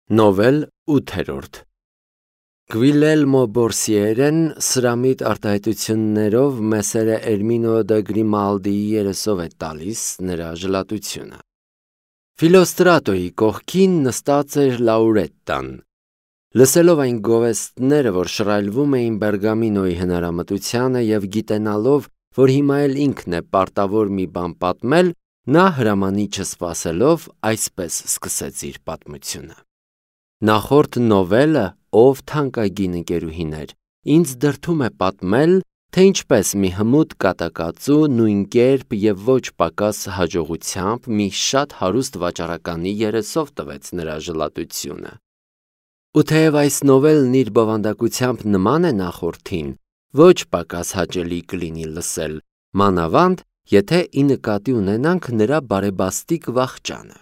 Նովել 8-րդ Գվիլելմո Բորսիերեն սրամիտ արտահայտություններով Մեսերը Էրմինո դե Գրիմալդիի երեսով է տալիս նրա ժլատությունը։ Ֆիլոստրատոյի կողքին նստած էր Լաուրետտան։ Լսելով այն գովեստները, որ շռայլվում էին Բերգամինոյի հնարամտությանը և գիտենալով, որ հիմա էլ ինքն է պարտավոր մի բան պատմել, նա հրամանի չսպասելով այսպես սկսեց իր պատմությունը. Նախորդ նովելը, ով թանկագին ընկերուհիներ, ինձ դրդում է պատմել, թե ինչպես մի հմուտ կատակածու նույն կերպ և ոչ պակաս հաջողությամբ մի շատ հարուստ վաճառականի երեսով տվեց նրա ժլատությունը։ Ու թեև այս նովելն իր բովանդակությամբ նման է նախորդին, ոչ պակաս հաճելի կլինի լսել, մանավանդ, եթե ի նկատի ունենանք նրա բարեբաստիկ վախճանը։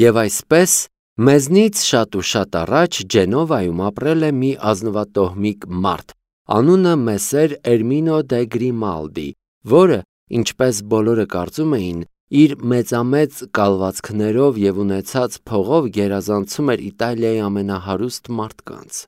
Եվ այսպես, մեզնից շատ ու շատ առաջ Ջենովայում ապրել է մի ազնվատոհմիկ մարդ, անունը Մեսեր Էրմինո դե Գրիմալդի, որը, ինչպես բոլորը կարծում էին, իր մեծամեծ կալվածքներով և ունեցած փողով գերազանցում էր Իտալիայի ամենահարուստ մարդկանց։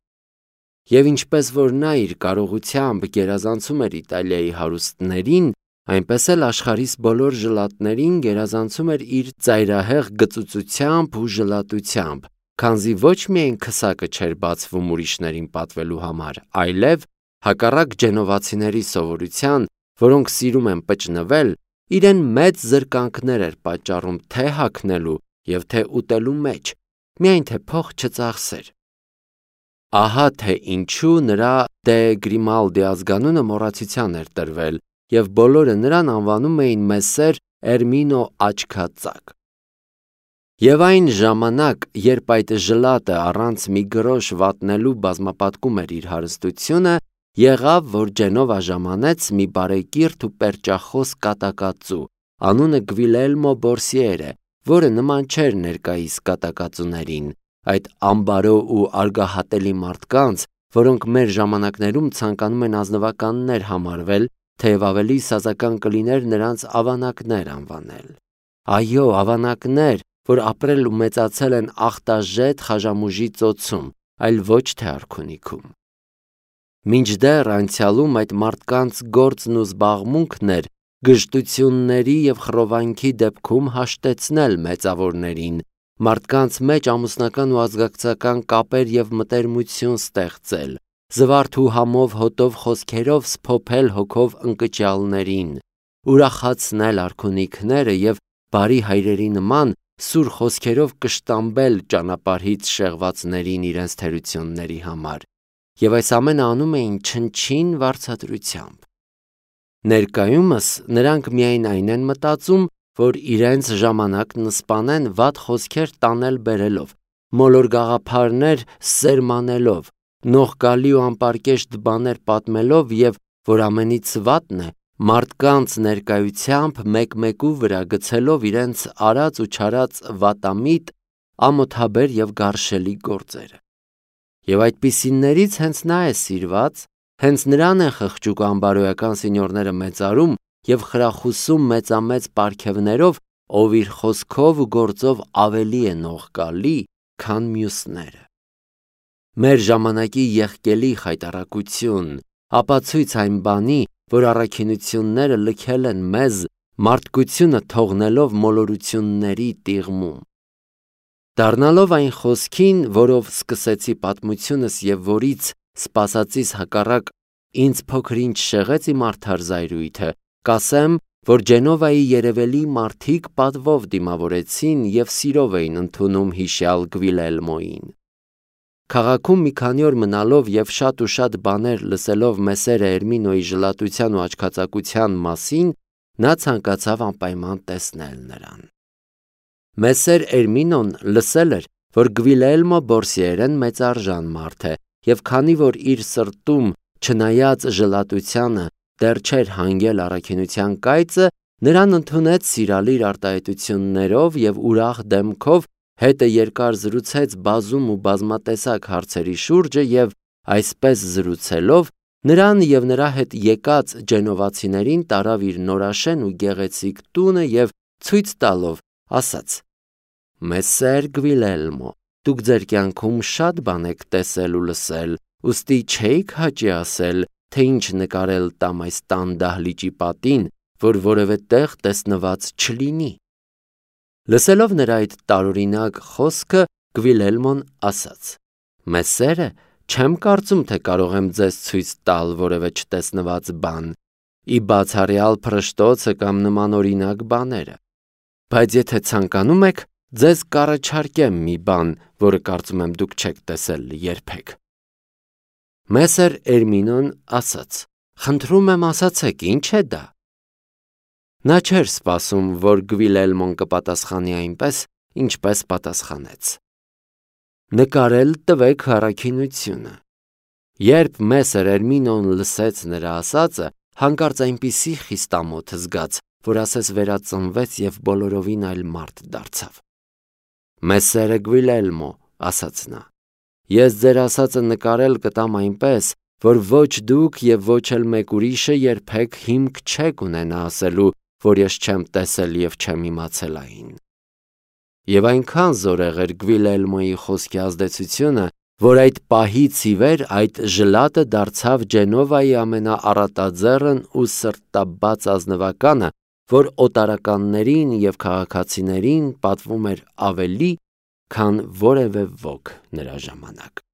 Եվ ինչպես որ նա իր կարողությամբ գերազանցում էր Իտալիայի հարուստներին, այնպես էլ աշխարհիս բոլոր ժլատներին գերազանցում էր իր ծայրահեղ գծուծությամբ ու ժլատությամբ, քանզի ոչ միայն քսակը չէր բացվում ուրիշներին պատվելու համար, այլև, հակառակ ջենովացիների սովորության, որոնք սիրում են պճնվել, իրեն մեծ զրկանքներ էր պատճառում թե հագնելու և թե ուտելու մեջ, միայն թե փող չծախսեր։ Ահա թե ինչու նրա դե Գրիմալդի ազգանունը մոռացության էր տրվել, և բոլորը նրան անվանում էին Մեսեր Էրմինո Աչքածակ։ Եվ այն ժամանակ, երբ այդ ժլատը առանց մի գրոշ վատնելու բազմապատկում էր իր հարստությունը, եղավ, որ Ջենովա ժամանեց մի բարեկիրթ ու պերճախոս կատակածու, անունը Գվիլելմո Բորսիերը, որը նման չէր ներկայիս կատակածուներին, այդ ամբարո ու արգահատելի մարդկանց, որոնք մեր ժամանակներում ցանկանում են ազնվականներ համարվել, թեև ավելի սազական կլիներ նրանց ավանակներ անվանել։ Այո, ավանակներ, որ ապրել ու մեծացել են ախտաժետ Խաժամուժի ծոցում, այլ ոչ թե արքունիքում։ Մինչդեռ անցյալում այդ մարդկանց գործն ու զբաղմունքն էր գժտությունների և խռովանքի դեպքում հաշտեցնել մեծավորներին, մարդկանց մեջ ամուսնական ու ազգակցական կապեր և մտերմություն ստեղծել, զվարթ ու համով հոտով խոսքերով սփոփել հոգով ընկճյալներին, ուրախացնել արքունիքները և բարի հայրերի նման սուր խոսքերով կշտամբել ճանապարհից շեղվածներին իրենց թերությունների համար, և այս ամենը անում էին չնչին վարձատրությամբ։ Ներկայումս նրանք միայն այն են մտածում, որ իրենց ժամանակն սպանեն վատ խոսքեր տանել-բերելով, մոլոր գաղափարներ սերմանելով, նողկալի ու անպարկեշտ բաներ պատմելով և, որ ամենից վատն է, մարդկանց ներկայությամբ մեկ-մեկու վրա գցելով իրենց արած ու չարած վատամիտ, ամոթաբեր և գարշելի գործերը։ Եվ այդպիսիներից հենց նա է սիրված, հենց նրան են խղճուկ ու անբարոյական սինյորները մեծարում և խրախուսում մեծամեծ պարգևներով, ով իր խոսքով ու գործով ավելի է նողկալի, քան մյուսները։ Մեր ժամանակի եղկելի խայտառակություն, ապացույց այն բանի, որ առաքինությունները լքել են մեզ, մարդկությունը թողնելով մոլորությունների տիղմում։ Դառնալով այն խոսքին, որով սկսեցի պատմությունս և որից, սպասածիս հակառակ, ինձ փոքր-ինչ շեղեց իմ արդար զայրույթը, կասեմ, որ Ջենովայի երևելի մարդիկ պատվով դիմավորեցին և սիրով էին ընդունում հիշյալ Գվիլելմոյին։ Քաղաքում մի քանի օր մնալով և շատ ու շատ բաներ լսելով Մեսերը Էրմինոյի ժլատության ու աչքածակության մասին, նա ցանկացավ անպայման տեսնել նրան։ Մեսեր Էրմինոն լսել էր, որ Գվիլելմո Բորսիերեն մեծարժան մարդ է, և քանի որ իր սրտում, չնայած ժլատությանը, դեռ չէր հանգել առաքինության կայծը, նրան ընդունեց սիրալիր արտահայտություններով և ուրախ դեմքով հետը երկար զրուցեց բազում ու բազմատեսակ հարցերի շուրջը և, այսպես զրուցելով, նրան և նրա հետ եկած ջենովացիներին տարավ իր նորաշեն ու գեղեցիկ տունը և ցույց տալով ասաց. «Մեսեր Գվիլելմո, դուք ձեր կյանքում շատ բան եք տեսել ու լսել, ուստի չէիք հաճի ասել, թե ինչ նկարել տամ այս տան դահլիճի պատին, որ որևէ տեղ տեսնված չլինի։ Լսելով նրա այդ տարօրինակ խոսքը, Գվիլելմոն ասաց. «Մեսերը, չեմ կարծում, թե կարող եմ ձեզ ցույց տալ որևէ չտեսնված բան, ի բացառյալ փռշտոցը կամ նմանօրինակ բաները։ Բայց եթե ցանկանում եք, ձեզ կառաջարկեմ մի բան, որը կարծում եմ դուք չեք տեսել երբեք»։ Մեսեր Էրմինոն ասաց. «Խնդրում եմ ասացեք, ինչ է դա»։ Նա չէր սպասում, որ Գվիլելմոն կպատասխանի այնպես, ինչպես պատասխանեց. «Նկարել տվեք առաքինությունը»։ Երբ Մեսեր Էրմինոն լսեց նրա ասածը, հանկարծ այնպիսի խիստամոթ զգաց, որ ասես վերածնվեց և բոլորովին այլ մարդ դարձավ։ «Մեսերը Գվիլելմո», ասաց նա, «ես ձեր ասածը նկարել կտամ այնպես, որ ոչ դուք և ոչ էլ մեկ ուրիշը երբեք հիմք չեք ունենա ասելու, որ ես չեմ տեսել և չեմ իմացել այն»։ Եվ այնքան զորեղ էր Գվիլելմոյի խոսքի ազդեցությունը, որ այդ պահից ի վեր այդ ժլատը դարձավ Ջենովայի ամենաառատաձեռն ու սրտաբաց ազնվականը, որ օտարականներին և քաղաքացիներին պատվում էր ավելի, քան որևէ ոք նրա ժամանակ։